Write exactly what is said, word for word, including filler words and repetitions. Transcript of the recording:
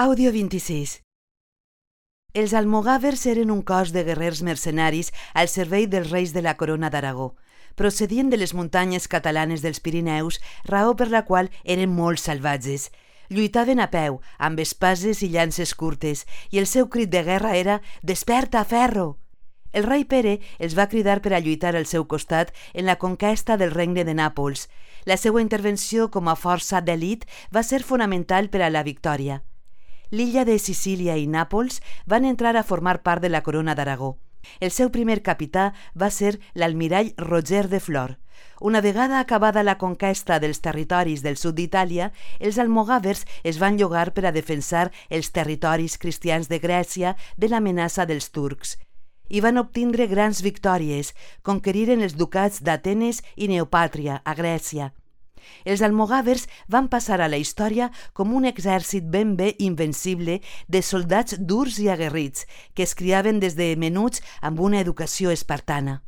Àudio vint-i-sis. Els almogàvers eren un cos de guerrers mercenaris al servei dels reis de la Corona d'Aragó. Procedien de les muntanyes catalanes dels Pirineus, raó per la qual eren molt salvatges. Lluitaven a peu, amb espases i llances curtes, i el seu crit de guerra era «Desperta, ferro!». El rei Pere els va cridar per a lluitar al seu costat en la conquesta del regne de Nàpols. La seva intervenció com a força d'elit va ser fonamental per a la victòria. L'illa de Sicília i Nàpols van entrar a formar part de la Corona d'Aragó. El seu primer capità va ser l'almirall Roger de Flor. Una vegada acabada la conquesta dels territoris del sud d'Itàlia, els almogàvers es van llogar per a defensar els territoris cristians de Grècia de l'amenaça dels turcs. I van obtindre grans victòries, conqueriren els ducats d'Atenes i Neopàtria, a Grècia. Els almogàvers van passar a la història com un exèrcit ben bé invencible de soldats durs i aguerrits que es criaven des de menuts amb una educació espartana.